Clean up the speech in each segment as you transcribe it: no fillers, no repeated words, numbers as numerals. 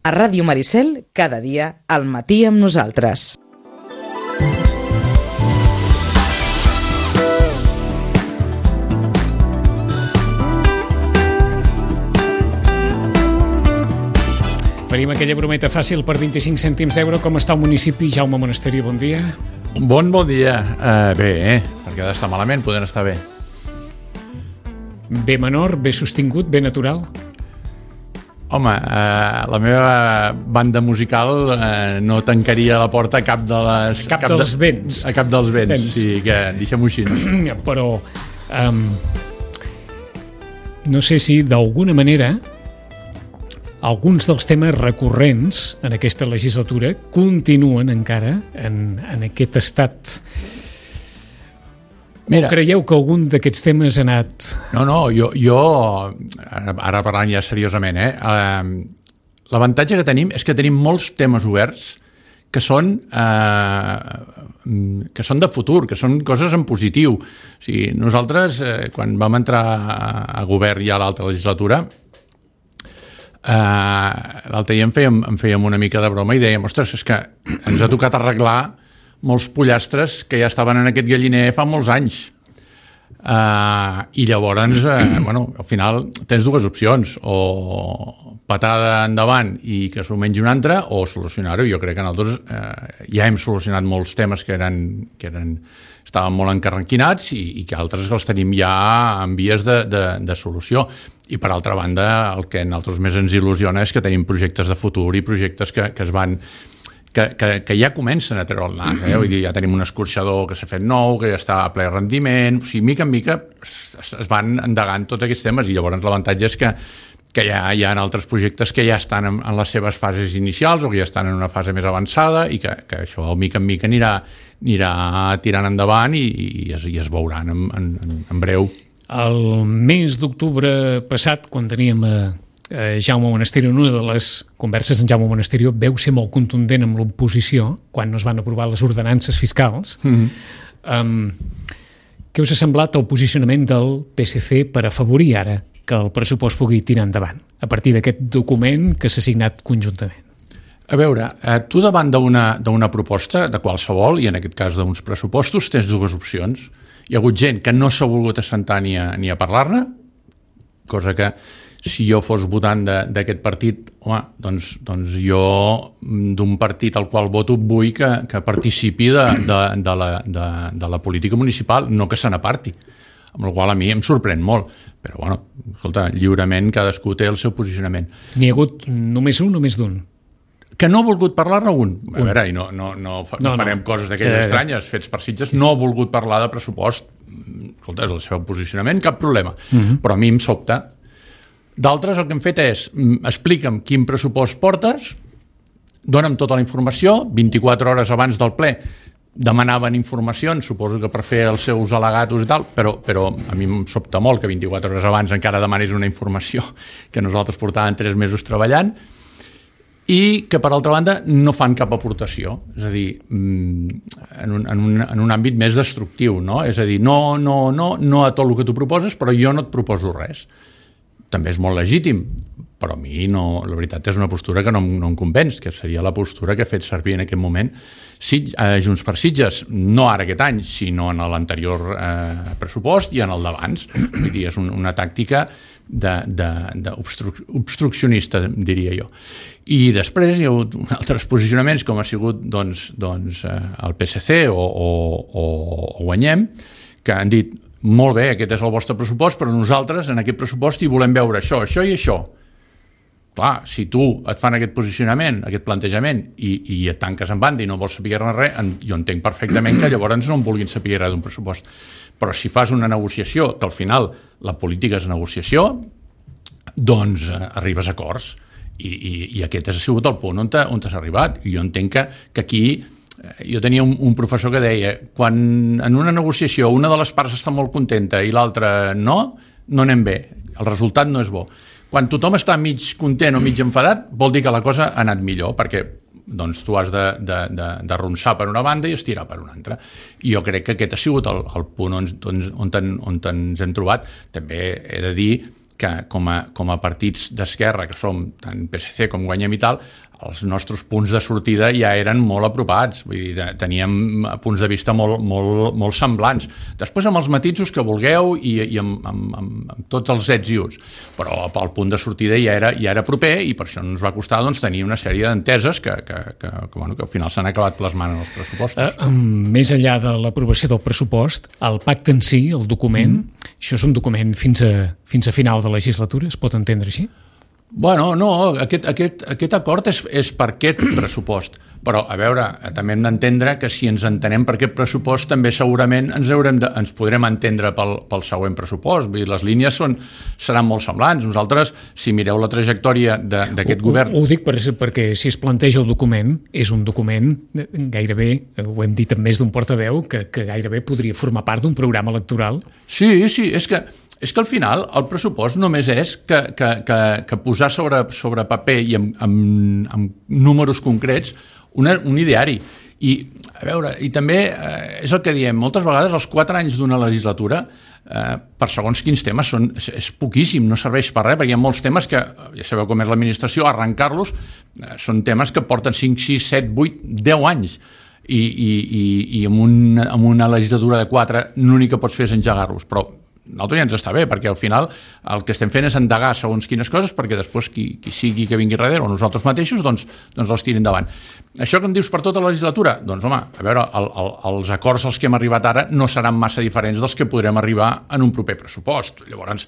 A Ràdio Maricel, cada dia, al matí amb nosaltres. Faríem aquella brometa fàcil per 25 cèntims d'euro. Com està el municipi? Jaume Monasterio, bon dia. Bon dia. Bé, perquè ha d'estar malament, poden estar bé. B menor, B sostingut, B natural? Home, la meva banda musical no tancaria la porta a cap de les... A cap dels vents. A cap dels vents, sí, que deixem-ho així. Però no sé si d'alguna manera alguns dels temes recurrents en aquesta legislatura continuen encara en aquest estat. Mira, o creieu que algun d'aquests temes ha anat... No, jo ara parlant ja seriosament, l'avantatge que tenim és que tenim molts temes oberts que són de futur, que són coses en positiu. O sigui, nosaltres, quan vam entrar a govern ja a l'altra legislatura, l'altre dia em fèiem una mica de broma i dèiem, ostres, és que ens ha tocat arreglar molts pollastres que ja estaven en aquest galliner fa molts anys. I llavors, al final tens dues opcions, o patada endavant i que s'ho mengi un altre, o solucionar-ho. Jo crec que nosaltres ja hem solucionat molts temes que estaven molt encarranquinats i que altres els tenim ja en vies de solució. I per altra banda, el que a nosaltres més ens il·lusiona és que tenim projectes de futur i projectes que es van... Que ja comencen a treure el nas, vull dir, ja tenim un escorxador que s'ha fet nou, que ja està a ple rendiment, o sigui, mica en mica es van endegant tots aquests temes i llavors l'avantatge és que ja hi ha altres projectes que ja estan en les seves fases inicials o que ja estan en una fase més avançada i que això mica en mica anirà tirant endavant i es veuran en breu. El mes d'octubre passat, quan teníem Jaume Monasterio, en una de les converses en Jaume Monasterio veu ser molt contundent amb l'oposició quan no es van aprovar les ordenances fiscals. Què us ha semblat el posicionament del PSC per afavorir ara que el pressupost pugui tirar endavant a partir d'aquest document que s'ha signat conjuntament? A veure, tu davant d'una proposta de qualsevol, i en aquest cas d'uns pressupostos, tens dues opcions. Hi ha hagut gent que no s'ha volgut assentar ni a parlar-ne, cosa que si jo fos votant d'aquest partit, home, doncs jo d'un partit al qual voto vull que participi de la política municipal, no que se n'aparti, amb la qual a mi em sorprèn molt. Però, bueno, escolta, lliurement cadascú té el seu posicionament. N'hi ha hagut només un o més d'un? Que no ha volgut parlar-ne un. A veure, i no farem coses d'aquelles estranyes, fets per Sitges, no ha volgut parlar de pressupost. Escolta, és el seu posicionament, cap problema. Però a mi em sobta. D'altres el que hem fet és explica'm quin pressupost portes, dona'm tota la informació, 24 hores abans del ple demanaven informacions, suposo que per fer els seus al·legatos i tal, però a mi em sobta molt que 24 hores abans encara demanis una informació que nosaltres portàvem 3 mesos treballant i que per altra banda no fan cap aportació, és a dir, en un àmbit més destructiu, no? És a dir, no a tot el que tu proposes, però jo no et proposo res. També és molt legítim, però a mi no, la veritat és una postura que no em convenç, que seria la postura que he fet servir en aquest moment Junts per Sitges, no ara aquest any, sinó en l'anterior pressupost i en el d'abans. Vull dir, és una tàctica obstruccionista, diria jo. I després hi ha hagut altres posicionaments, com ha sigut el PSC o Guanyem, que han dit molt bé, aquest és el vostre pressupost, però nosaltres en aquest pressupost hi volem veure això i això. Clar, si tu et fan aquest posicionament, aquest plantejament, i et tanques en banda i no vols saber res, jo entenc perfectament que llavors no en vulguin saber res d'un pressupost. Però si fas una negociació, que al final la política és negociació, doncs arribes a acords. I aquest ha sigut el punt on t'has arribat. I jo entenc que aquí... Jo tenia un professor que deia quan en una negociació una de les parts està molt contenta i l'altra no anem bé, el resultat no és bo. Quan tothom està mig content o mig enfadat vol dir que la cosa ha anat millor, perquè doncs tu has d'arronsar per una banda i estirar per una altra. I jo crec que aquest ha sigut el punt on ens hem trobat. També he de dir que com a partits d'esquerra, que som tant PSC com Guanyem i tal, els nostres punts de sortida ja eren molt apropats, vull dir, teníem punts de vista molt semblants. Després amb els matisos que vulgueu i amb tots els ets i uts, però el punt de sortida ja era proper i per això ens va costar tenir una sèrie d'enteses que al final s'han acabat plasmant en els pressupostos. Més enllà de l'aprovació del pressupost, el pacte en si, el document, això és un document fins a final de legislatura, es pot entendre així? Bueno, no, aquest acord és per aquest pressupost, però a veure, també hem d'entendre que si ens entenem per aquest pressupost també segurament ens podrem entendre pel següent pressupost. Vull dir, les línies seran molt semblants. Nosaltres, si mireu la trajectòria d'aquest govern... Ho dic perquè si es planteja el document, és un document gairebé, ho hem dit amb més d'un portaveu, que gairebé podria formar part d'un programa electoral. Sí, és que al final el pressupost només és que posar sobre paper i amb números concrets un ideari. I, a veure, i també és el que diem, moltes vegades els 4 anys d'una legislatura per segons quins temes és poquíssim, no serveix per res, perquè hi ha molts temes que, ja sabeu com és l'administració, arrencar-los són temes que porten 5, 6, 7, 8, 10 anys. I amb una legislatura de 4 l'únic que pots fer és engegar-los, però nosaltres ja ens està bé, perquè al final el que estem fent és endegar segons quines coses perquè després qui sigui que vingui darrere o nosaltres mateixos, doncs els tirin endavant. Això que em dius per tota la legislatura? Doncs home, a veure, els acords als que hem arribat ara no seran massa diferents dels que podrem arribar en un proper pressupost. Llavors,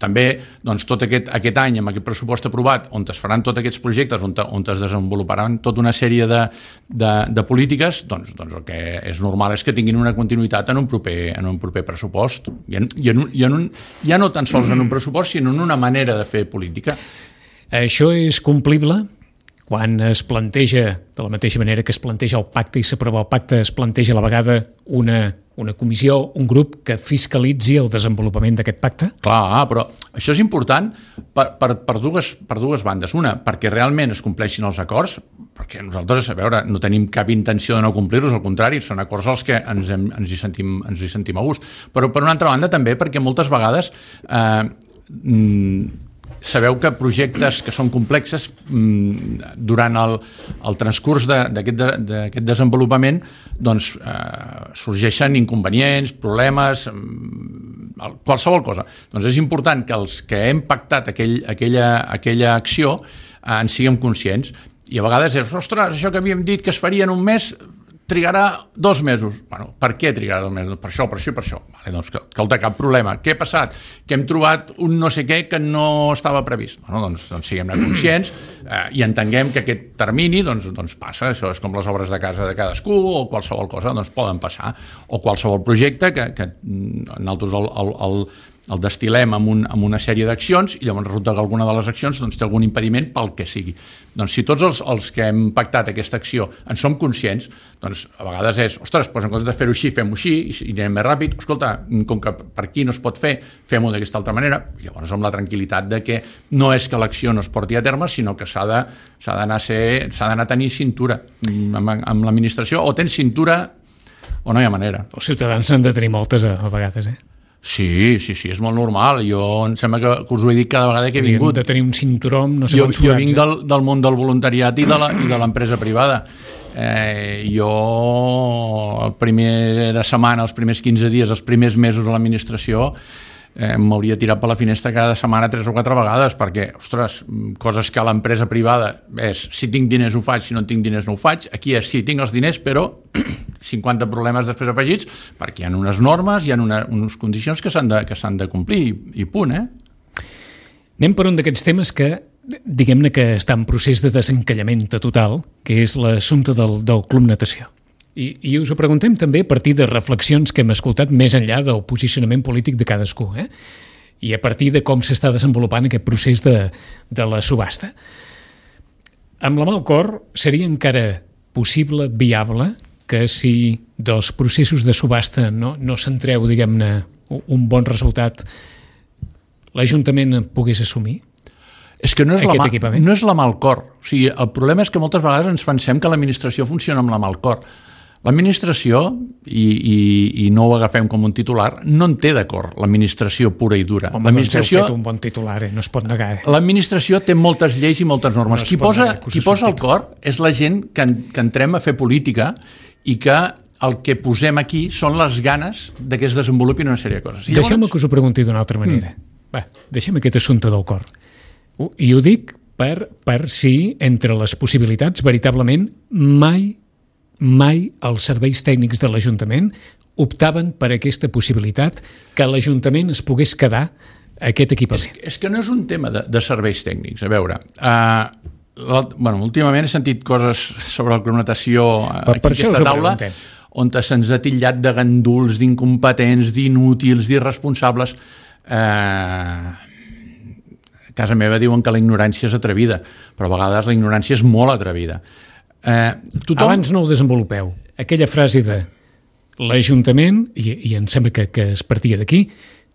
també, doncs, tot aquest any, amb aquest pressupost aprovat, on es faran tots aquests projectes, on es desenvoluparan tota una sèrie de polítiques, doncs el que és normal és que tinguin una continuïtat en un proper pressupost. Ja no tan sols en un pressupost, sinó en una manera de fer política. Això és complible quan es planteja, de la mateixa manera que es planteja el pacte i s'aprova el pacte, es planteja a la vegada una comissió, un grup que fiscalitzi el desenvolupament d'aquest pacte? Clar, però això és important per dues bandes. Una, perquè realment es compleixin els acords, perquè nosaltres, a veure, no tenim cap intenció de no complir-los, al contrari, són acords als que ens hi sentim a gust. Però per una altra banda també perquè moltes vegades sabeu que projectes que són complexes durant el transcurs d'aquest desenvolupament doncs sorgeixen inconvenients, problemes, qualsevol cosa. Doncs és important que els que hem pactat aquella acció en siguem conscients. I a vegades és, ostres, això que havíem dit que es faria en un mes trigarà 2 mesos. Bueno, per què trigarà 2 mesos? Per això. Vale, doncs, escolta, cap problema. Què ha passat? Que hem trobat un no sé què que no estava previst. Bueno, doncs siguem-ne conscients i entenguem que aquest termini doncs passa. Això és com les obres de casa de cadascú o qualsevol cosa, doncs poden passar. O qualsevol projecte que nosaltres el destil·lem amb una sèrie d'accions i llavors resulta que alguna de les accions té algun impediment pel que sigui. Doncs si tots els que hem pactat aquesta acció en som conscients, doncs a vegades és, ostres, doncs en comptes de fer-ho així, fem-ho així i anem més ràpid. Escolta, com que per aquí no es pot fer, fem-ho d'aquesta altra manera. I llavors amb la tranquil·litat de que no és que l'acció no es porti a terme, sinó que s'ha d'anar a tenir cintura amb l'administració. O tens cintura o no hi ha manera. Els ciutadans n'han de tenir moltes a vegades, Sí, és molt normal. Jo em sembla que us ho he dit cada vegada que he vingut. De tenir un cinturó, no sé quants forats. Jo vinc del món del voluntariat i de l'empresa privada. Jo la primera setmana, els primers 15 dies, els primers mesos a l'administració m'hauria tirat per la finestra cada setmana 3 o 4 vegades perquè, ostres, coses que a l'empresa privada és si tinc diners ho faig, si no tinc diners no ho faig. Aquí és sí, tinc els diners, però 50 problemes després afegits perquè hi ha unes normes, hi ha unes condicions que s'han de complir i punt, Anem per un d'aquests temes que diguem-ne que està en procés de desencallament total, que és l'assumpte del Club Natació. I us ho preguntem també a partir de reflexions que hem escoltat més enllà del posicionament polític de cadascú, i a partir de com s'està desenvolupant aquest procés de la subhasta. Amb la mà al cor, seria encara possible, viable, que si dels processos de subhasta no se'n treu, diguem-ne, un bon resultat, l'Ajuntament pogués assumir? És que no és la mà al cor. O sigui, el problema és que moltes vegades ens pensem que l'administració funciona amb la mà al cor. L'administració, i no ho agafem com un titular, no en té d'acord l'administració pura i dura. Home, doncs heu fet un bon titular, no es pot negar. L'administració té moltes lleis i moltes normes. Qui posa el cor és la gent que entrem a fer política i que el que posem aquí són les ganes de que es desenvolupin una sèrie de coses. Deixeu-me que us ho pregunti d'una altra manera. Va, deixem aquest assumpte del cor. I ho dic per si entre les possibilitats veritablement mai els serveis tècnics de l'Ajuntament optaven per aquesta possibilitat que l'Ajuntament es pogués quedar aquest equipament. És que no és un tema de serveis tècnics. A veure, últimament he sentit coses sobre la climatació aquí a aquesta taula on se'ns ha titllat de ganduls, d'incompetents, d'inútils, d'irresponsables. A casa meva diuen que la ignorància és atrevida, però a vegades la ignorància és molt atrevida. Abans no ho desenvolupeu. Aquella frase de l'Ajuntament, i em sembla que es partia d'aquí,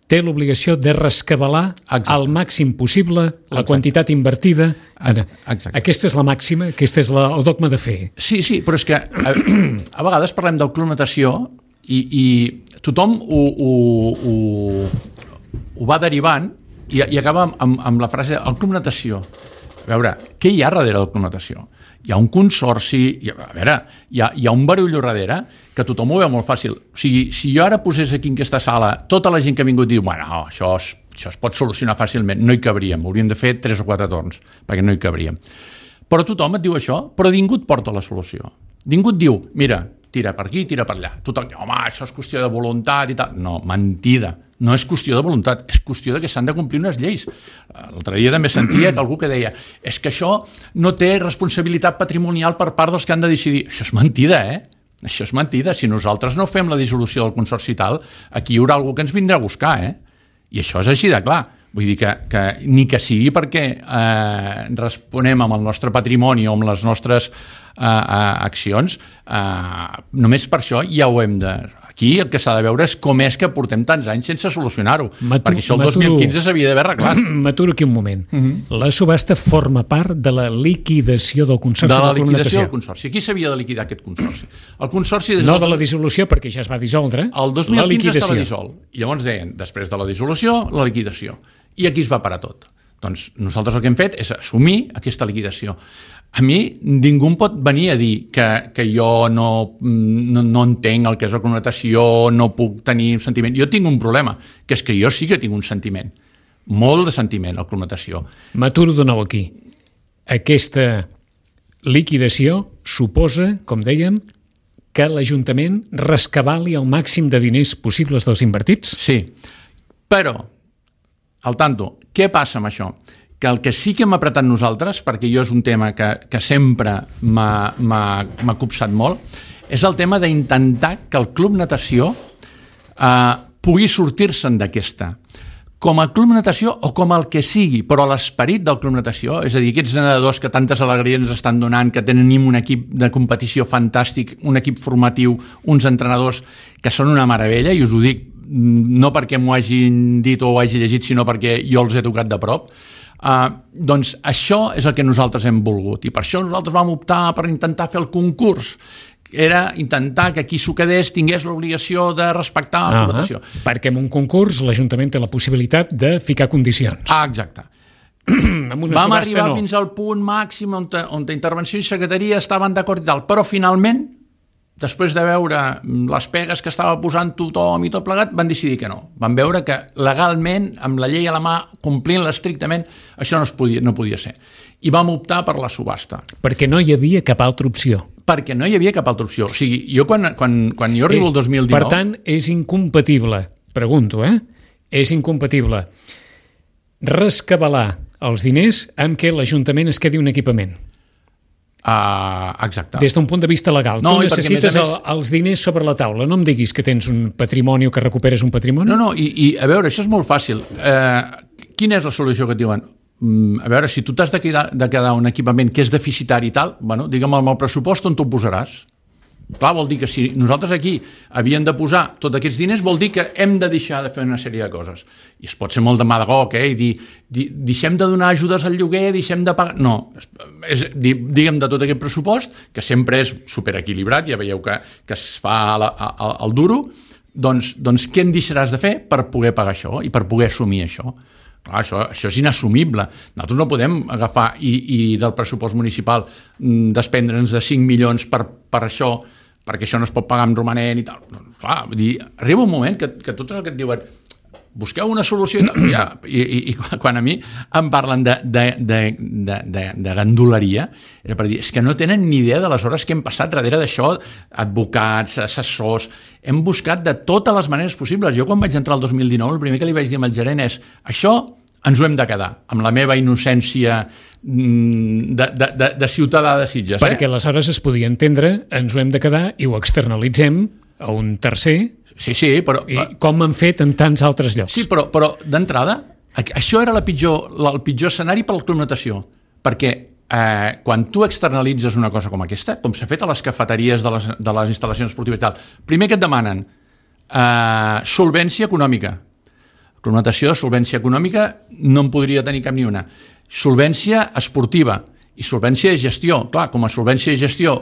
té l'obligació de rescabalar al màxim possible la quantitat invertida. Aquesta és la màxima, aquest és el dogma de fer. Sí, però és que a vegades parlem del Club Natació i tothom ho va derivant i acaba amb la frase el Club Natació. A veure, què hi ha darrere del Club Natació? Hi ha un consorci, hi ha un barullo darrere que tothom ho veu molt fàcil. O sigui, si jo ara posés aquí en aquesta sala tota la gent que ha vingut diu, bueno, això es pot solucionar fàcilment, no hi cabríem, hauríem de fer 3 o 4 torns, perquè no hi cabríem. Però tothom et diu això, però ningú et porta la solució. Ningú et diu, mira, tira per aquí, tira per allà. Tothom diu, home, això és qüestió de voluntat i tal. No, mentida. No és qüestió de voluntat, és qüestió de que s'han de complir unes lleis. L'altre dia també sentia que algú que deia és que això no té responsabilitat patrimonial per part dels que han de decidir. Això és mentida, Això és mentida. Si nosaltres no fem la dissolució del consorci i tal, aquí hi haurà algú que ens vindrà a buscar, I això és així de clar. Vull dir que ni que sigui perquè responem amb el nostre patrimoni o amb les nostres accions, només per això ja ho hem de... Aquí el que s'ha de veure és com és que portem tants anys sense solucionar-ho, perquè això el 2015 s'havia d'haver arreglat. M'aturo aquí un moment. La subhasta forma part de la liquidació del consorci. De la liquidació del consorci. Aquí s'havia de liquidar aquest consorci. El consorci... No de la dissolució, perquè ja es va dissoldre. El 2015 estava dissolt. I llavors deien, després de la dissolució, la liquidació. I aquí es va parar tot. Doncs nosaltres el que hem fet és assumir aquesta liquidació. A mi ningú em pot venir a dir que jo no entenc el que és la connotació, no puc tenir un sentiment. Jo tinc un problema, que és que jo sí que tinc un sentiment, molt de sentiment, la connotació. M'aturo de nou aquí. Aquesta liquidació suposa, com dèiem, que l'Ajuntament rescabali el màxim de diners possibles dels invertits? Sí, però, al tanto, què passa amb això? Que el que sí que hem apretat nosaltres, perquè jo és un tema que sempre m'ha copsat molt, és el tema d'intentar que el Club Natació pugui sortir-se'n d'aquesta. Com a Club Natació o com el que sigui, però l'esperit del Club Natació, és a dir, aquests nedadors que tantes alegries ens estan donant, que tenim un equip de competició fantàstic, un equip formatiu, uns entrenadors que són una meravella, i us ho dic no perquè m'ho hagin dit o ho hagi llegit, sinó perquè jo els he tocat de prop. Doncs això és el que nosaltres hem volgut i per això nosaltres vam optar per intentar fer el concurs. Era intentar que qui s'ho quedés tingués l'obligació de respectar la votació. Perquè en un concurs l'Ajuntament té la possibilitat de ficar condicions. Exacte. Vam arribar fins al punt màxim on intervenció i secretaria estaven d'acord i tal, però finalment, després de veure les pegues que estava posant tothom i tot plegat, van decidir que no. Van veure que legalment, amb la llei a la mà, complint-la estrictament, això no podia ser. I vam optar per la subhasta. Perquè no hi havia cap altra opció. Perquè no hi havia cap altra opció. O sigui, jo quan jo arribo el 2019... Per tant, és incompatible, pregunto, és incompatible rescabalar els diners amb què l'Ajuntament es quedi un equipament. Exacte. Des d'un punt de vista legal. Tu necessites els diners sobre la taula. No em diguis que tens un patrimoni o que recuperes un patrimoni. No, i a veure, això és molt fàcil. Quina és la solució que et diuen? A veure, si tu t'has de quedar un equipament que és deficitari i tal, bueno, digue'm amb el pressupost on tu ho posaràs. Clar, vol dir que si nosaltres aquí havíem de posar tots aquests diners, vol dir que hem de deixar de fer una sèrie de coses. I es pot ser molt demagog, i dir, deixem de donar ajudes al lloguer, deixem de pagar... No, diguem de tot aquest pressupost, que sempre és superequilibrat, ja veieu que es fa al duro, doncs què en deixaràs de fer per poder pagar això i per poder assumir això? Clar, això és inassumible. Nosaltres no podem agafar i del pressupost municipal desprendre'ns de 5 milions per això, perquè això no es pot pagar amb romanent i tal. Doncs, clar, vull dir, arriba un moment que tots el que et diuen busqueu una solució i quan a mi em parlen de ganduleria, era per dir, és que no tenen ni idea de les hores que hem passat darrere d'això, advocats, assessors, hem buscat de totes les maneres possibles. Jo quan vaig entrar el 2019, el primer que li vaig dir al gerent és, això ens ho hem de quedar, amb la meva innocència de ciutadà de Sitges. Perquè aleshores es podia entendre, ens ho hem de quedar i ho externalitzem a un tercer. Sí, però... I com han fet en tants altres llocs. Sí, però d'entrada, això era el pitjor escenari per la Club Natació, perquè quan tu externalitzes una cosa com aquesta, com s'ha fet a les cafeteries de les instal·lacions esportives i tal, primer que et demanen solvència econòmica. Club Natació, solvència econòmica, no en podria tenir cap ni una. Solvència esportiva i solvència de gestió. Clar, com a solvència de gestió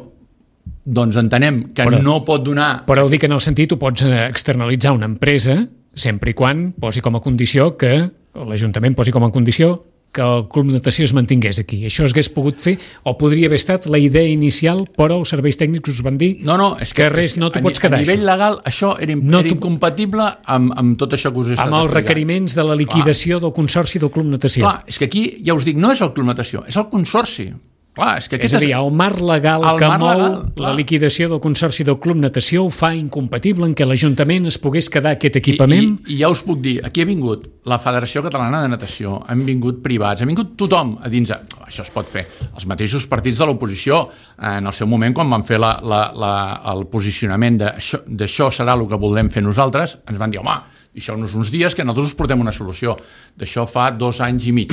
doncs entenem que no pot donar... Però ho dic en el sentit, tu pots externalitzar una empresa sempre i quan posi com a condició que l'Ajuntament posi com a condició que el Club Natació es mantingués aquí. Això es hagués pogut fer o podria haver estat la idea inicial, però els serveis tècnics us van dir és que res, no t'ho pots quedar. A nivell legal això era incompatible amb tot això que us he estat explicant. Amb els requeriments de la liquidació del Consorci del Club Natació. Clar, és que aquí ja us dic, no és el Club Natació, és el Consorci. Clar, és a dir, el marc legal que mou la liquidació del Consorci del Club Natació ho fa incompatible en què l'Ajuntament es pogués quedar aquest equipament. I ja us puc dir, aquí ha vingut la Federació Catalana de Natació, han vingut privats, ha vingut tothom a dins, això es pot fer. Els mateixos partits de l'oposició, en el seu moment, quan van fer el posicionament d'això serà el que volem fer nosaltres, ens van dir, home, deixeu-nos uns dies que nosaltres us portem una solució. D'això fa 2 anys i mig.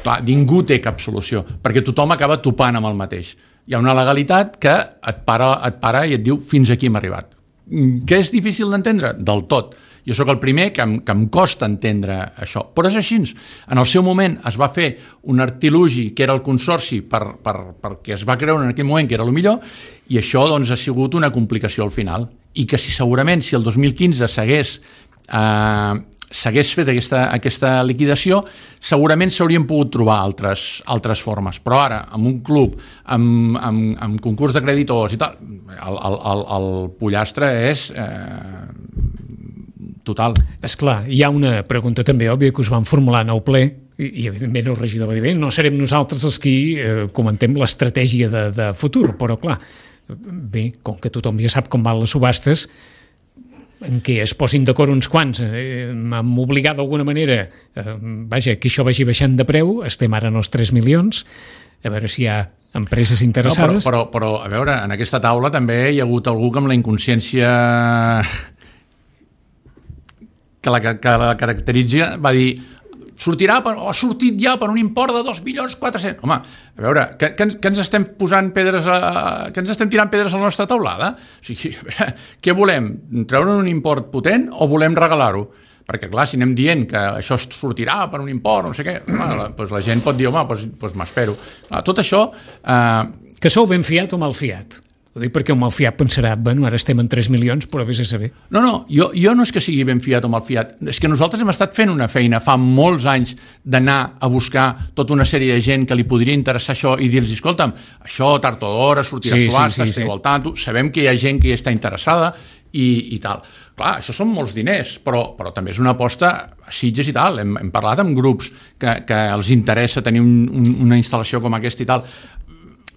Clar, ningú té cap solució, perquè tothom acaba topant amb el mateix. Hi ha una legalitat que et para i et diu fins aquí hem arribat. Que és difícil d'entendre? Del tot. Jo sóc el primer que em costa entendre això, però és així. En el seu moment es va fer un artilugi que era el Consorci perquè es va creure en aquell moment que era el millor i això doncs, ha sigut una complicació al final. I que segurament si el 2015 s'hagués fet aquesta liquidació, segurament s'haurien pogut trobar altres formes, però ara amb un club amb concurs de creditors i tal, el pollastre és total. Esclar, hi ha una pregunta també òbvia que us van formular en el ple i evidentment el regidor va dir bé, no serem nosaltres els qui comentem l'estratègia de futur, però clar, bé, com que tothom ja sap com van les subhastes, en què es posin d'acord uns quants, m'han obligat d'alguna manera, que això vagi baixant de preu, estem ara en els 3 milions, a veure si hi ha empreses interessades. No, però a veure, en aquesta taula també hi ha hagut algú que amb la inconsciència que la caracteritza va dir ha sortit ja per un import de 2.400.000. Home, a veure, que ens estem posant pedres que ens estem tirant pedres a la nostra taulada? O sigui, a veure, què volem? Treure un import potent o volem regalar-ho? Perquè, clar, si anem dient que això sortirà per un import, no sé què, doncs la gent pot dir, home, doncs m'espero. Tot això... Que sou ben fiat o mal fiat? Ho dic perquè un mal fiat pensarà, bueno, ara estem en 3 milions, però vés a saber. No, jo no és que sigui ben fiat o mal fiat, és que nosaltres hem estat fent una feina fa molts anys d'anar a buscar tota una sèrie de gent que li podria interessar això i dir-los, escolta'm, això tard o d'hora sortirà a subhasta, esteu al tanto, sabem que hi ha gent que hi està interessada i tal. Clar, això són molts diners, però també és una aposta a Sitges i tal. Hem parlat amb grups que els interessa tenir una instal·lació com aquesta i tal.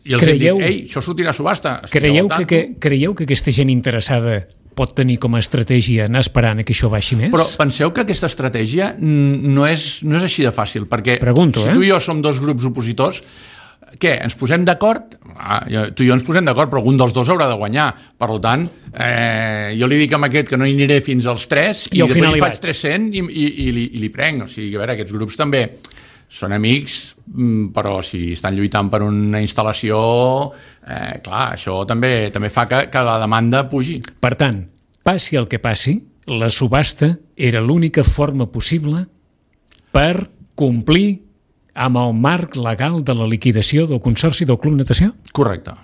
I els hem dit, ei, això sortirà a subhasta. Creieu que aquesta gent interessada pot tenir com a estratègia anar esperant que això baixi més? Però penseu que aquesta estratègia no és així de fàcil, perquè si tu i jo som 2 grups opositors, què, ens posem d'acord? Tu i jo ens posem d'acord, però algun dels 2 haurà de guanyar. Per tant, jo li dic a aquest que no hi aniré fins als 3 i després li faig 300 i li prenc. O sigui, a veure, aquests grups també són amics, però si estan lluitant per una instal·lació, clar, això també fa que la demanda pugi. Per tant, passi el que passi, la subhasta era l'única forma possible per complir amb el marc legal de la liquidació del Consorci del Club Natació? Correcte.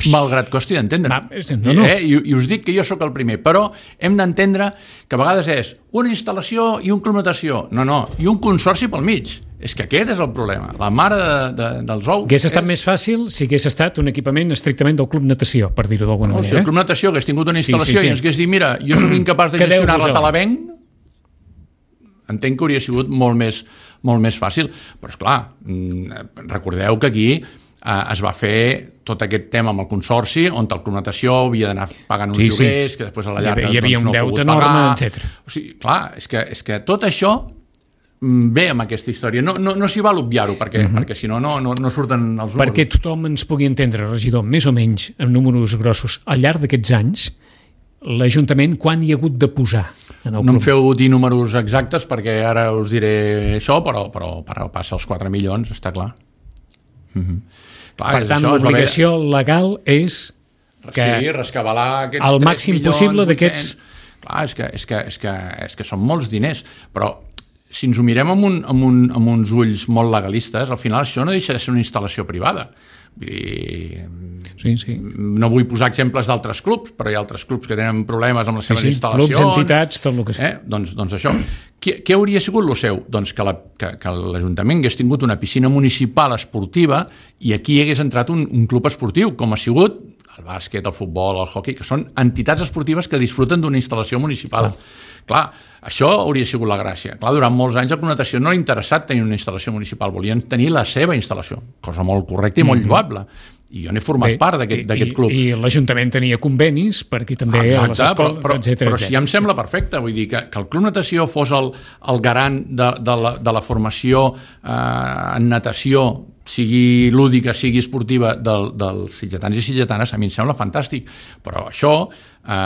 Malgrat costi d'entendre. No. I us dic que jo sóc el primer, però hem d'entendre que a vegades és una instal·lació i un club natació. No, i un consorci pel mig. És que aquest és el problema. La mare dels ous... Hauria estat més fàcil si hagués estat un equipament estrictament del club natació, per dir-ho d'alguna manera. Si el club natació hagués tingut una instal·lació i ens hagués dit, mira, jo soc incapaç de gestionar-la, te la venc, entenc que hauria sigut molt més fàcil. Però, esclar, recordeu que aquí es va fer tot aquest tema amb el consorci, on el club natació havia d'anar pagant uns lloguers, que després a la llarga hi havia un deute enorme, etc. O sigui, clar, és que tot això ve amb aquesta història. No s'hi val obviar-ho, perquè si no surten els números. Perquè tothom ens pugui entendre, regidor, més o menys, en números grossos, al llarg d'aquests anys, l'Ajuntament quan hi ha hagut de posar en el club? No em feu dir números exactes, perquè ara us diré això, però passa els 4 milions, està clar. Clar, per tant, l'obligació legal és que rescabalar aquests el màxim possible d'aquests... Clar, és que són molts diners, però si ens ho mirem amb uns ulls molt legalistes, al final això no deixa de ser una instal·lació privada. Sí. No vull posar exemples d'altres clubs, però hi ha altres clubs que tenen problemes amb les seves instal·lacions. Clubs, entitats, tot el que sigui. Doncs això. Què hauria sigut el seu? Doncs que l'Ajuntament hagués tingut una piscina municipal esportiva i aquí hagués entrat un club esportiu, com ha sigut el bàsquet, el futbol, el hoquei, que són entitats esportives que disfruten d'una instal·lació municipal. Clar, això hauria sigut la gràcia. Clar, durant molts anys a la natació no ha interessat tenir una instal·lació municipal, volien tenir la seva instal·lació, cosa molt correcta i molt lloable. I jo n'he format part d'aquest club. I l'Ajuntament tenia convenis perquè també a les escoles, etc. Però si ja em sembla perfecte, vull dir que el Club Natació fos el garant de la formació en natació, sigui lúdica, sigui esportiva, dels sitgetans i sitgetanes, a mi em sembla fantàstic. Però això,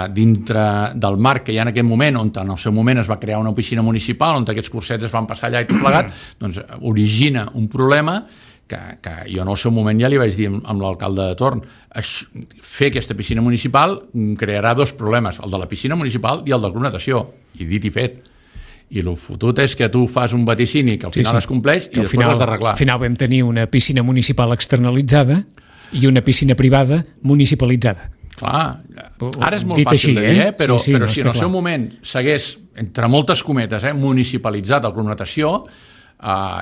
dintre del marc que hi ha en aquest moment, on en el seu moment es va crear una piscina municipal, on aquests cursets es van passar allà i tot plegat, doncs origina un problema que jo en el seu moment ja li vaig dir amb l'alcalde de torn. Fer aquesta piscina municipal crearà 2 problemes, el de la piscina municipal i el del club natació, i dit i fet. I el fotut és que tu fas un vaticini que al final es compleix i després l'has d'arreglar. Al final vam tenir una piscina municipal externalitzada i una piscina privada municipalitzada. Clar, ara és molt fàcil de dir, però si en el seu moment s'hagués, entre moltes cometes, municipalitzat el club natació,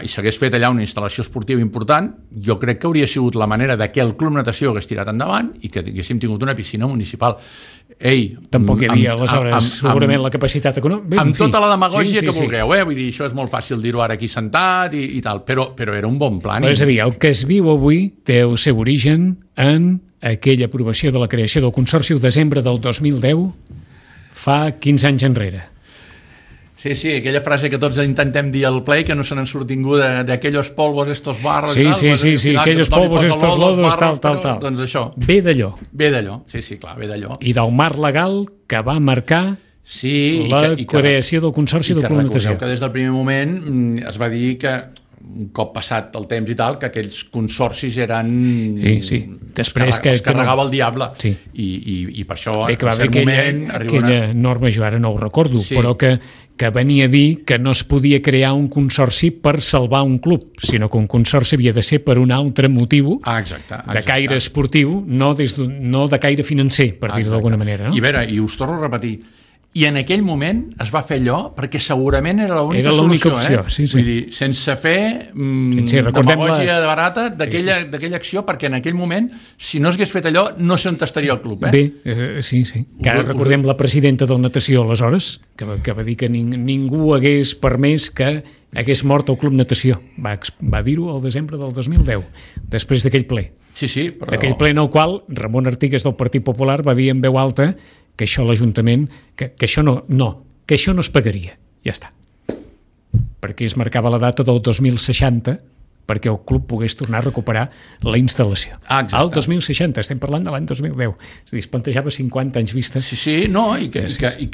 i s'hagués fet allà una instal·lació esportiva important, jo crec que hauria sigut la manera que el club natació hagués tirat endavant i que haguéssim tingut una piscina municipal. Tampoc hi havia aleshores segurament la capacitat econòmica. Amb tota la demagògia que vulgueu, vull dir, això és molt fàcil dir-ho ara aquí sentat i tal, però era un bon plan. És a dir, el que es viu avui té el seu origen en aquella aprovació de la creació del Consorci el desembre del 2010, fa 15 anys enrere. Sí, aquella frase que tots intentem dir al ple, que no se n'han surt ningú de aquellos polvos, estos barros... Sí, aquellos polvos, estos lodos, tal. Doncs això. Ve d'allò. Sí, clar, ve d'allò. I del marc legal que va marcar la creació del Consorci del Club Natació. I que des del primer moment es va dir que, un cop passat el temps i tal, que aquells consorcis eren... Sí. Després es carregava el diable. Sí. I per això, en cert moment... Aquella norma, jo ara no ho recordo, però que venia a dir que no es podia crear un consorci per salvar un club, sinó que un consorci havia de ser per un altre motiu de caire esportiu, no de caire financer, per dir-ho d'alguna manera. No? I a veure, i us torno a repetir, i en aquell moment es va fer allò perquè segurament era l'única opció. Sí. Vull dir, sense fer demagògia de barata d'aquella acció, perquè en aquell moment, si no s'hagués fet allò, no sé on estaria el club. Sí. Que ara recordem la presidenta del Natació, aleshores, que va dir que ningú hagués permès que hagués mort el Club Natació. Va dir-ho al desembre del 2010, després d'aquell ple. Sí, però... D'aquell ple en el qual Ramon Artigas del Partit Popular va dir en veu alta que això l'Ajuntament, que això que això no es pagaria. Ja està. Perquè es marcava la data del 2060 perquè el club pogués tornar a recuperar la instal·lació. Exacte. Al 2060, estem parlant de l'any 2010. És a dir, es plantejava 50 anys vista. Sí, no, i que...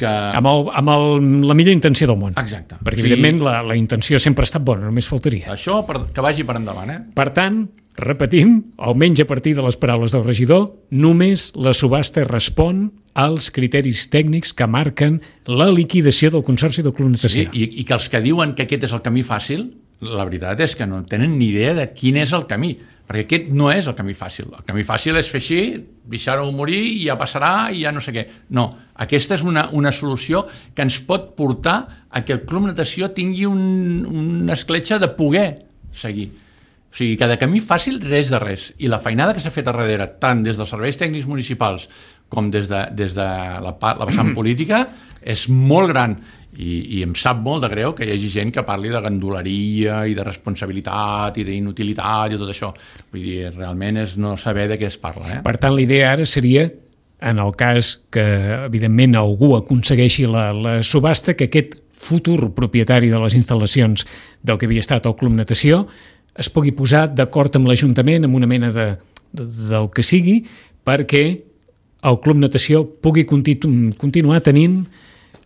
Amb la millor intenció del món. Exacte. Perquè, evidentment, la intenció sempre ha estat bona, només faltaria. Això que vagi per endavant, Per tant, repetim, almenys a partir de les paraules del regidor, només la subhasta respon als criteris tècnics que marquen la liquidació del Consorci del Club Natació. Sí, i que els que diuen que aquest és el camí fàcil, la veritat és que no tenen ni idea de quin és el camí, perquè aquest no és el camí fàcil. El camí fàcil és fer així, deixar-ho morir i ja passarà i ja no sé què. No, aquesta és una solució que ens pot portar a que el Club Natació tingui una escletxa de poder seguir. O sigui, que de camí fàcil res de res. I la feinada que s'ha fet a darrere, tant des dels serveis tècnics municipals com des de la vessant política, és molt gran. I em sap molt de greu que hi hagi gent que parli de ganduleria i de responsabilitat i d'inutilitat i tot això. Vull dir, realment és no saber de què es parla. Per tant, la idea ara seria, en el cas que, evidentment, algú aconsegueixi la subhasta, que aquest futur propietari de les instal·lacions del que havia estat el Club Natació es pugui posar d'acord amb l'Ajuntament, amb una mena del que sigui, perquè el Club Natació pugui continuar tenint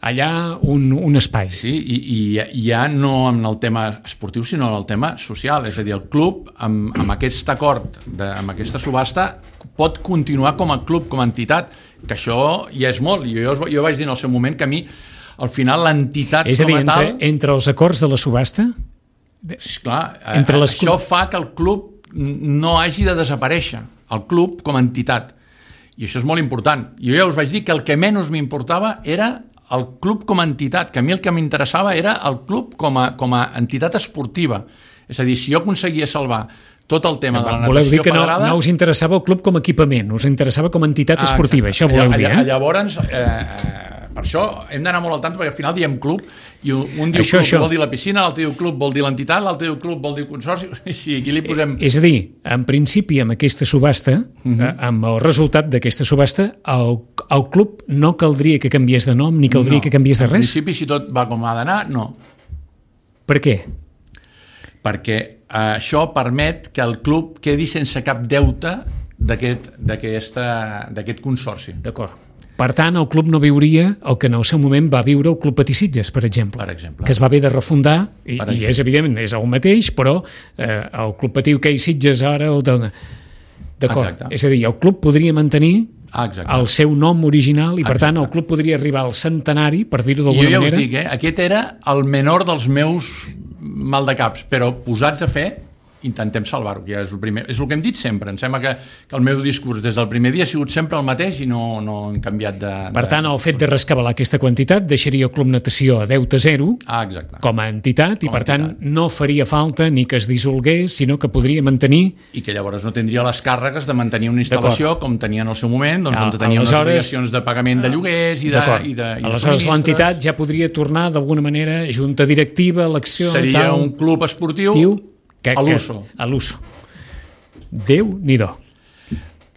allà un espai. Sí, i ja no en el tema esportiu, sinó en el tema social. És a dir, el club, amb aquest acord, amb aquesta subhasta, pot continuar com a club, com a entitat, que això ja és molt. Jo vaig dir en el seu moment que a mi, al final, l'entitat és a dir, com a tal... entre els acords de la subhasta... Clar, això fa que el club no hagi de desaparèixer, el club com a entitat. I això és molt important. Jo ja us vaig dir que el que menys m'importava era el club com a entitat, que a mi el que m'interessava era el club com a entitat esportiva. És a dir, si jo aconseguia salvar tot el tema de la natació voleu dir que federada... no us interessava el club com a equipament, us interessava com a entitat esportiva, això voleu dir, eh? Llavors, per això hem d'anar molt al tant, perquè al final diem club, i un diu club vol dir la piscina, l'altre diu club vol dir l'entitat, l'altre diu club vol dir consorci, i aquí li posem... És a dir, en principi, amb aquesta subhasta, amb el resultat d'aquesta subhasta, el club no caldria que canviés de nom, ni caldria que canviés de res? En principi, si tot va com ha d'anar, no. Per què? Perquè això permet que el club quedi sense cap deute d'aquest consorci. D'acord. Per tant, el club no viuria el que en el seu moment va viure el Club Patí Sitges, per exemple, que es va haver de refundar, i és evident, és el mateix, però el Club Patí Hoquei Sitges ara... D'acord. És a dir, el club podria mantenir el seu nom original i, per tant, el club podria arribar al centenari, per dir-ho d'alguna manera. Jo ja us dic, aquest era el menor dels meus maldecaps, però posats a fer... intentem salvar-ho, que és el primer. És el que hem dit sempre. Em sembla que el meu discurs des del primer dia ha sigut sempre el mateix i no hem canviat de... Per tant, el fet de rescabalar aquesta quantitat deixaria el Club Natació a deute zero com a entitat i, per tant, no faria falta ni que es dissolgués, sinó que podria mantenir... I que llavors no tindria les càrregues de mantenir una instal·lació com tenia en el seu moment, on tenia unes obligacions de pagament de lloguers i de... Aleshores, l'entitat ja podria tornar, d'alguna manera, junta directiva, elecció... Seria un club esportiu... a l'uso. Déu-n'hi-do.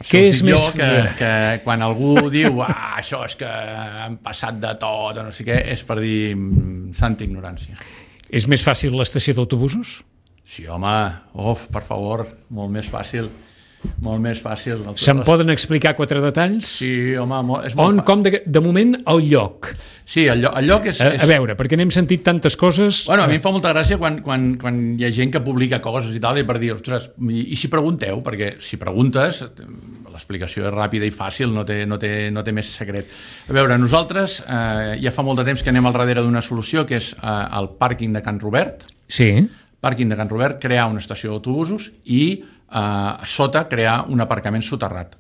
Què és més... Que quan algú diu això és que han passat de tot, no sé què, és per dir santa ignorància. És més fàcil l'estació d'autobusos? Sí, home, per favor, molt més fàcil. Molt més fàcil. Se'n poden explicar 4 detalls? Sí, home, és molt fàcil. Com, de moment, el lloc. Sí, el lloc és... A veure, perquè n'hem sentit tantes coses... Bueno, a mi em fa molta gràcia quan hi ha gent que publica coses i tal, i per dir, ostres, i si pregunteu, perquè si preguntes, l'explicació és ràpida i fàcil, no té més secret. A veure, nosaltres ja fa molt de temps que anem al darrere d'una solució, que és el pàrquing de Can Robert. Sí. Pàrquing de Can Robert, crear una estació d'autobusos i a sota crear un aparcament soterrat.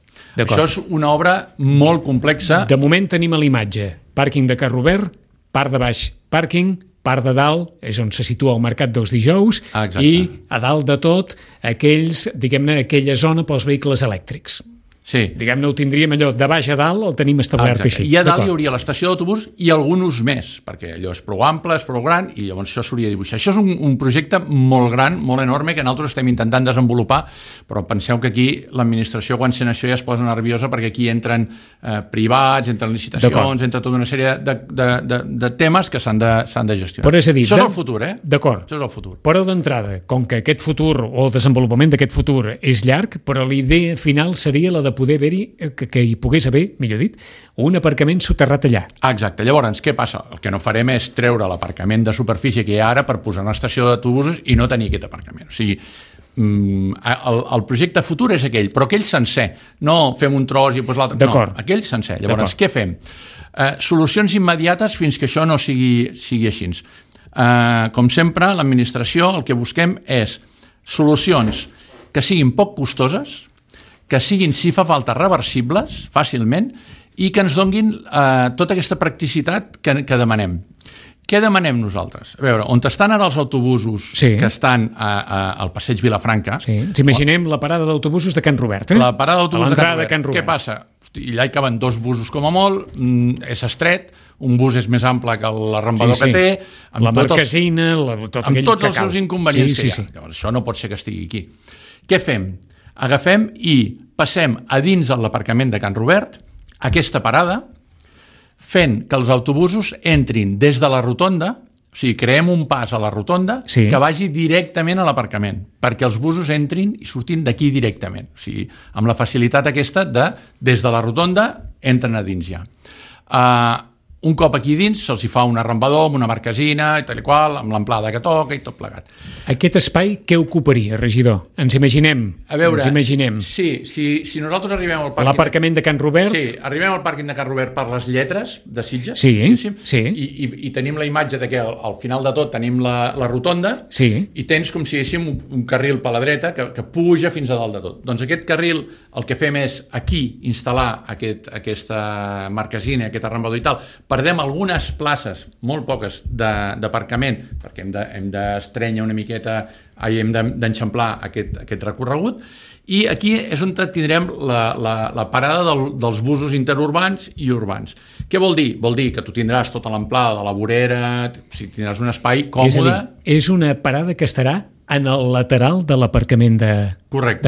Això és una obra molt complexa. De moment tenim a l'imatge pàrquing de Can Robert, part de baix pàrquing, part de dalt és on se situa el mercat dels dijous i a dalt de tot aquella zona pels vehicles elèctrics. Sí. Diguem-ne, ho tindríem allò de baix a dalt, el tenim establert Exacte. així. I a dalt hi hauria l'estació d'autobús i algun ús més, perquè allò és prou ample, és prou gran, i llavors això s'hauria de dibuixar. Això és un projecte molt gran, molt enorme, que nosaltres estem intentant desenvolupar, però penseu que aquí l'administració, quan sent això, ja es posa nerviosa, perquè aquí entren privats, entren licitacions, entra tota una sèrie de temes que s'han de gestionar. Però és a dir, això és el futur, D'acord. Això és el futur. Però d'entrada, com que aquest futur o el desenvolupament d'aquest futur és llarg, però la idea final seria la de poder haver-hi, que hi pogués haver, millor dit, un aparcament soterrat allà. Exacte. Llavors, què passa? El que no farem és treure l'aparcament de superfície que hi ha ara per posar una estació d'autobusos i no tenir aquest aparcament. O sigui, el projecte futur és aquell, però aquell sencer. No fem un tros i doncs l'altre. No, aquell sencer. Llavors, què fem? Solucions immediates fins que això no sigui així. Com sempre, l'administració el que busquem és solucions que siguin poc costoses, que siguin, si fa falta, reversibles fàcilment i que ens donguin tota aquesta practicitat que demanem. Què demanem nosaltres? A veure, on estan ara els autobusos que estan al passeig Vilafranca... Sí. Ens imaginem la parada d'autobusos de Can Robert, La parada d'autobusos de Can Robert. Què passa? I allà hi caben 2 busos com a molt, és estret, un bus és més ample que l'arrambador que té... La marquesina, amb tots els seus inconvenients que hi ha. Llavors, això no pot ser que estigui aquí. Què fem? Agafem i passem a dins de l'aparcament de Can Robert aquesta parada, fent que els autobusos entrin des de la rotonda, o sigui, creem un pas a la rotonda que vagi directament a l'aparcament, perquè els busos entrin i surtin d'aquí directament. O sigui, amb la facilitat aquesta de, des de la rotonda, entren a dins ja. Un cop aquí dins se'ls hi fa un arrambador amb una marquesina i tal i qual, amb l'amplada que toca i tot plegat. Aquest espai què ocuparia, regidor? Ens imaginem. A veure, si nosaltres arribem al pàrquing... L'aparcament de Can Robert... Sí, arribem al pàrquing de Can Robert per les lletres de Sitges, i tenim la imatge de que al final de tot tenim la rotonda i tens com si haguéssim un carril per la dreta que puja fins a dalt de tot. Doncs aquest carril el que fem és aquí instal·lar aquesta marquesina, aquest arrambador i tal. Perdem algunes places, molt poques, d'aparcament, perquè hem d'estrènyer una miqueta, hem d'enxamplar aquest recorregut, i aquí és on tindrem la parada dels busos interurbans i urbans. Què vol dir? Vol dir que tu tindràs tota l'amplada de la vorera, tindràs un espai còmode... És a dir, és una parada que estarà en el lateral de l'aparcament de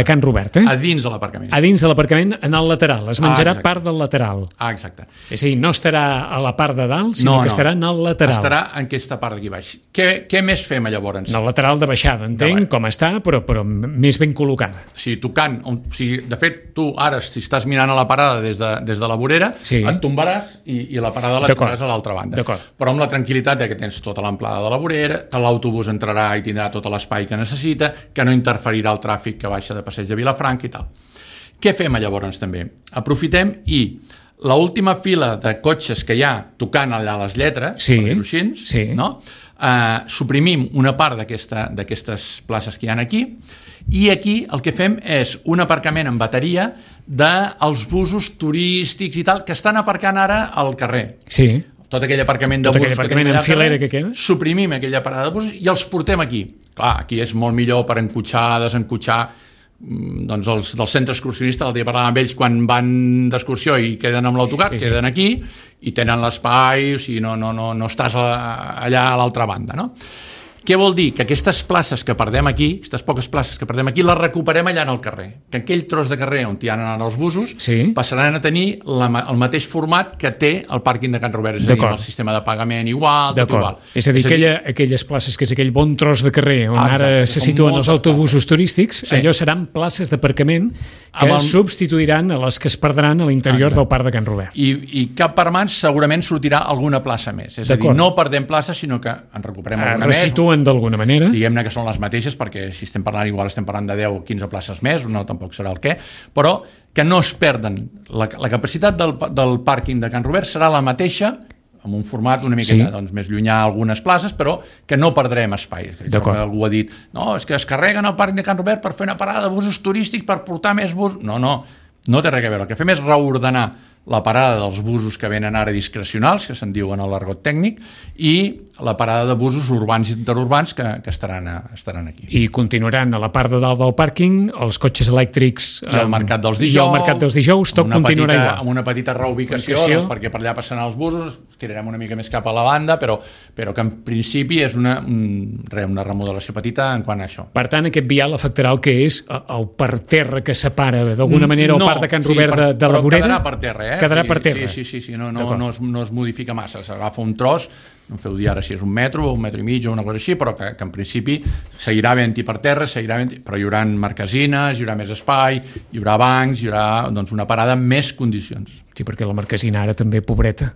Can Robert, a dins de l'aparcament. A dins de l'aparcament, en el lateral. Es menjarà part del lateral. Exacte. És a dir, no estarà a la part de dalt, sinó que estarà en el lateral. Estarà en aquesta part d'aquí baix. Què més fem, llavors? En el lateral de baixada, entenc, com està, però més ben col·locada. Tocant. De fet, tu ara, si estàs mirant a la parada des de la vorera, et tombaràs i la parada la tindràs a l'altra banda. Però amb la tranquil·litat que tens tota l'amplada de la vorera, que l'autobús entrarà i tindrà tot l'espai que necessita, que no interferirà el tràfic que baixa de passeig de Vilafranca i tal. Què fem llavors també? Aprofitem i l'última fila de cotxes que hi ha tocant allà les lletres, per dir-ho així, suprimim una part d'aquestes places que hi ha aquí, i aquí el que fem és un aparcament amb bateria dels busos turístics i tal, que estan aparcant ara al carrer. Tot aquell aparcament de busos en filera que queda, suprimim aquella parada de busos i els portem aquí. Clar, aquí és molt millor per encotxar, desencotxar, doncs els del centre excursionista, el dia parlàvem amb ells quan van d'excursió i queden amb l'autocar, queden aquí i tenen l'espai, o sigui, no estàs allà a l'altra banda, no? Què vol dir? Que aquestes places que perdem aquí, aquestes poques places que perdem aquí, les recuperem allà en el carrer. Que aquell tros de carrer on hi ha anat els busos passaran a tenir el mateix format que té el pàrquing de Can Robert, és a dir, el sistema de pagament igual, tot igual. És a dir, aquelles places, que és aquell bon tros de carrer on ara se situen els autobusos turístics, allò seran places d'aparcament que substituiran a les que es perdran a l'interior del parc de Can Robert. I cap per mans segurament sortirà alguna plaça més. És a dir, no perdem places, sinó que en recuperem alguna més. D'alguna manera. Diguem-ne que són les mateixes, perquè si estem parlant igual estem parlant de 10 o 15 places més, no tampoc serà el què, però que no es perden. La capacitat del pàrquing de Can Robert serà la mateixa, amb un format una miqueta més llunyà a algunes places, però que no perdrem espai. Algú ha dit, no, és que es carreguen el pàrquing de Can Robert per fer una parada de busos turístics, per portar més busos. No, No té res a veure. El que fem és reordenar la parada dels busos que venen ara discrecionals, que se'n diuen a l'argot tècnic, i la parada de busos urbans i interurbans que estaran aquí. I continuaran a la part de dalt del pàrquing, els cotxes elèctrics i el mercat dels dijous, i el mercat dels dijous, tot continuarà igual. Amb una petita reubicació, doncs, perquè per allà passaran els busos, tirarem una mica més cap a la banda, però que en principi és una remodelació petita en quant a això. Per tant, aquest vial afectarà el que és el parterre que separa d'alguna manera el parc de Can Robert de la Vorera? Quedarà per terra, Quedarà per terra. Sí, no es modifica massa, s'agafa un tros, no em feu dir ara si és un metro o un metro i mig o una cosa així, però que en principi seguirà havent-hi per terra, però hi haurà marquesines, hi haurà més espai, hi haurà bancs, hi haurà una parada amb més condicions. Sí, perquè la marquesina ara també, pobreta.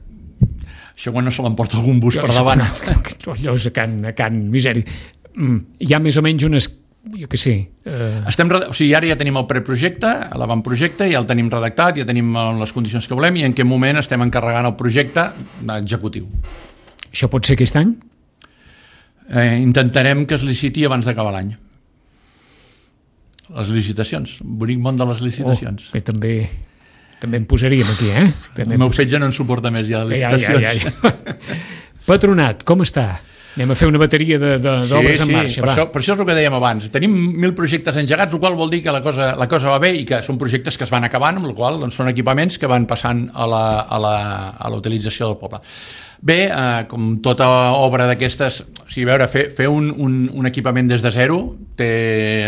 Això quan no se l'emporta algun bus per davant. Allò és a can misèria. Hi ha més o menys unes... jo què sé... Ara ja tenim el preprojecte, l'avantprojecte, ja el tenim redactat, ja tenim les condicions que volem i en quin moment estem encarregant el projecte executiu. Això pot ser aquest any? Intentarem que es liciti abans d'acabar l'any. Les licitacions, bonic món de les licitacions. Bé, també em posaríem aquí, El meu fetge no en suporta més ja de licitacions. Ja. Patronat, com està? Anem a fer una bateria d'obres en marxa. Per això és el que dèiem abans. Tenim 1.000 projectes engegats, el qual vol dir que la cosa va bé i que són projectes que es van acabant, amb el qual són equipaments que van passant a la utilització del poble. Bé, com tota obra d'aquestes, fer un equipament des de zero té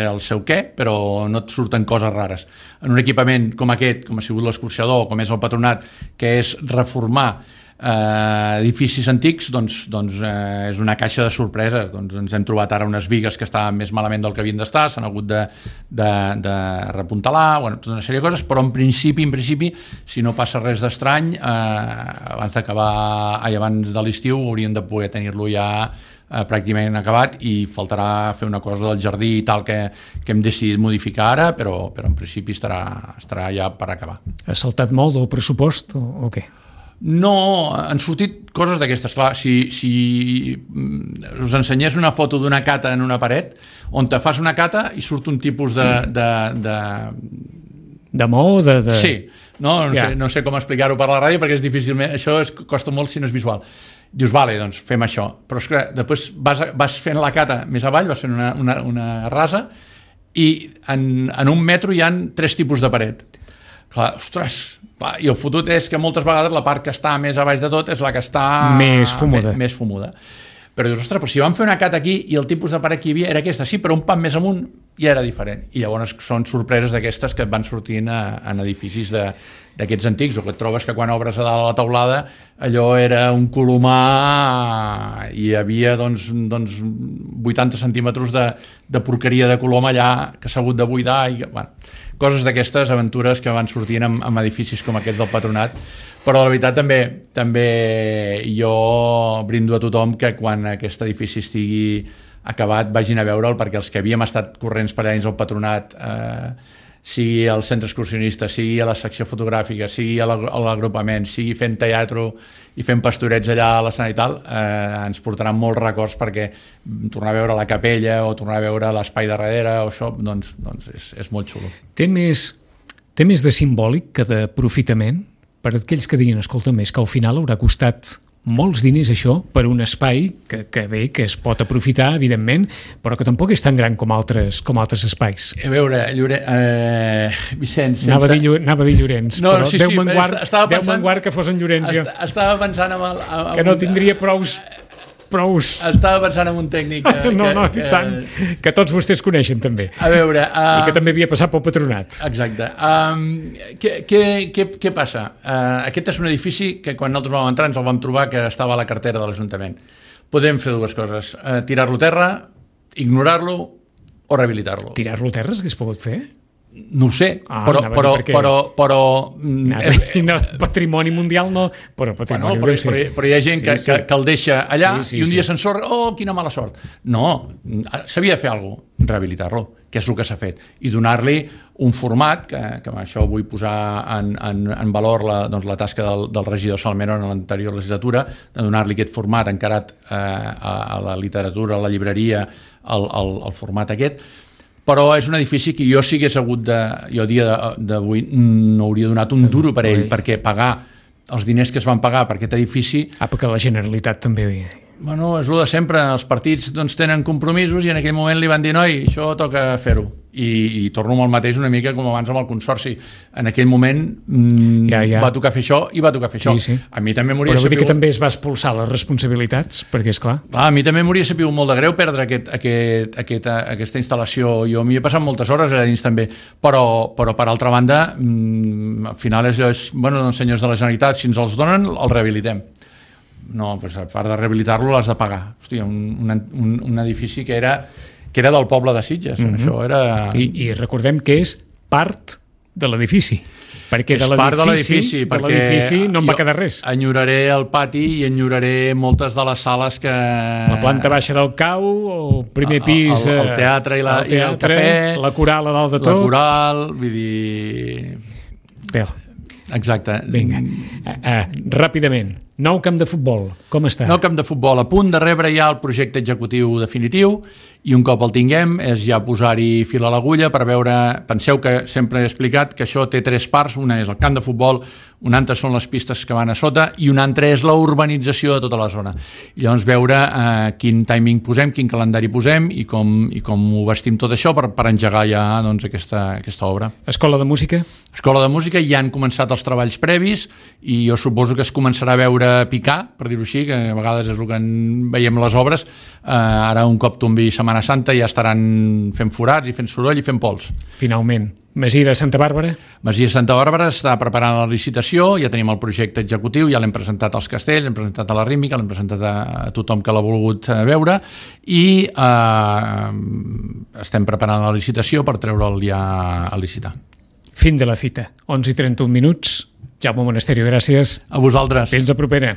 el seu què, però no et surten coses rares. En un equipament com aquest, com ha sigut l'escorxador, com és el Patronat, que és reformar edificis antics, doncs és una caixa de sorpreses. Ens hem trobat ara unes bigues que estaven més malament del que havien d'estar, s'han hagut de repuntalar, tota una sèrie de coses, però en principi, si no passa res d'estrany, abans de l'estiu hauríem de poder tenir-lo ja pràcticament acabat i faltarà fer una cosa del jardí i tal que hem decidit modificar ara, però en principi estarà ja per acabar. Ha saltat molt del pressupost o què? No, han sortit coses d'aquestes. Clar, si us ensenyés una foto d'una cata en una paret, on te fas una cata i surt un tipus de mo? Sí, no sé com explicar-ho per la ràdio perquè és difícilment, això costa molt si no és visual. Dius, vale, doncs fem això. Però és que després vas fent la cata més avall, vas fent una rasa i en un metro hi ha 3 tipus de paret. Clar, ostres, i el fotut és que moltes vegades la part que està més a baix de tot és la que està més fumuda. Però dius, ostres, però si vam fer una cata aquí i el tipus de paret que hi havia era aquesta, sí, però un pam més amunt ja era diferent. I llavors són sorpreses d'aquestes que et van sortint en edificis d'aquests antics, o que et trobes que quan obres a dalt a la teulada allò era un colomar i hi havia 80 centímetres de porqueria de colom allà que s'ha hagut de buidar i coses d'aquestes aventures que van sortint amb edificis com aquest del Patronat. Però la veritat també jo brindo a tothom que quan aquest edifici estigui acabat vagin a veure'l, perquè els que havíem estat corrents per allà dins el Patronat, sigui al centre excursionista, sigui a la secció fotogràfica, sigui a l'agrupament, sigui fent teatre i fent pastorets allà a l'escenari i tal, ens portaran molts records, perquè tornar a veure la capella o tornar a veure l'espai de darrere o això, doncs és molt xulo. Té més de simbòlic que d'aprofitament per aquells que diguin, escolta, més que al final haurà costat molts diners això per un espai que es pot aprofitar, evidentment, però que tampoc és tan gran com altres espais. A veure, Vicenç... Anava a dir Llorenç, no, però sí, Déu menguard que fos en Llorenç. Estava pensant que no tindria prous... Estava pensant en un tècnic que tots vostès coneixen també, a veure, i que també havia passat pel Patronat. Exacte. Què passa? Aquest és un edifici que quan nosaltres vam entrar ens el vam trobar que estava a la cartera de l'Ajuntament. Podem fer dues coses: tirar-lo a terra, ignorar-lo o rehabilitar-lo. Tirar-lo a terra s'hagués pogut fer? No ho sé, però patrimoni mundial no, però patrimoni però hi ha gent que el deixa allà i un dia s'ensorra, quina mala sort. No, s'havia de fer alguna cosa, rehabilitar-lo, que és el que s'ha fet, i donar-li un format, que amb això vull posar en valor la tasca del regidor Salmerón en l'anterior legislatura, de donar-li aquest format encarat a la literatura, a la llibreria, el format aquest, però és un edifici que jo si hagués hagut jo a dia d'avui no hauria donat un duro per ell, perquè pagar els diners que es van pagar per aquest edifici... perquè la Generalitat també... Bueno, és el de sempre, els partits doncs, tenen compromisos i en aquell moment li van dir noi, això toca fer-ho. I torno amb el mateix una mica com abans amb el Consorci. En aquell moment va tocar fer això i va tocar fer això. Sí. A mi també m'hauria Però vull dir que també es va expulsar les responsabilitats, perquè és clar. A mi també m'hauria sabut molt de greu perdre aquesta instal·lació. Jo m'hi he passat moltes hores allà dins també, però per altra banda, al final bueno, doncs, senyors de la Generalitat, si ens els donen, els rehabilitem. No, doncs a part de rehabilitar-lo l'has de pagar. Hòstia, un edifici que era del poble de Sitges. Això era... I recordem que és part de l'edifici. Perquè de l'edifici no en va quedar res. Enyoraré el pati i enyoraré moltes de les sales que... La planta baixa del cau, o primer pis... El teatre i el cafè... La coral a dalt de tot... La coral, vull dir... Bé. Exacte. Vinga, ràpidament. Nou camp de futbol, com està? Nou camp de futbol, a punt de rebre ja el projecte executiu definitiu, i un cop el tinguem és ja posar-hi fil a l'agulla per veure... Penseu que sempre he explicat que això té 3 parts, una és el camp de futbol, una altra són les pistes que van a sota i una altra és la urbanització de tota la zona. I llavors veure quin timing posem, quin calendari posem i com ho vestim tot això per engegar ja doncs, aquesta obra. Escola de música? Escola de música, ja han començat els treballs previs i jo suposo que es començarà a veure picar, per dir-ho així, que a vegades és el que veiem les obres. Ara un cop tombi Setmana Santa ja estaran fent forats i fent soroll i fent pols. Finalment. Masia de Santa Bàrbara? Masia de Santa Bàrbara està preparant la licitació, ja tenim el projecte executiu, ja l'hem presentat als castells, l'hem presentat a la Rítmica, l'hem presentat a tothom que l'ha volgut veure i estem preparant la licitació per treure'l ja a licitar. Fin de la cita. 11:31. Jaume Monasterio, gràcies. A vosaltres. Fins a propera.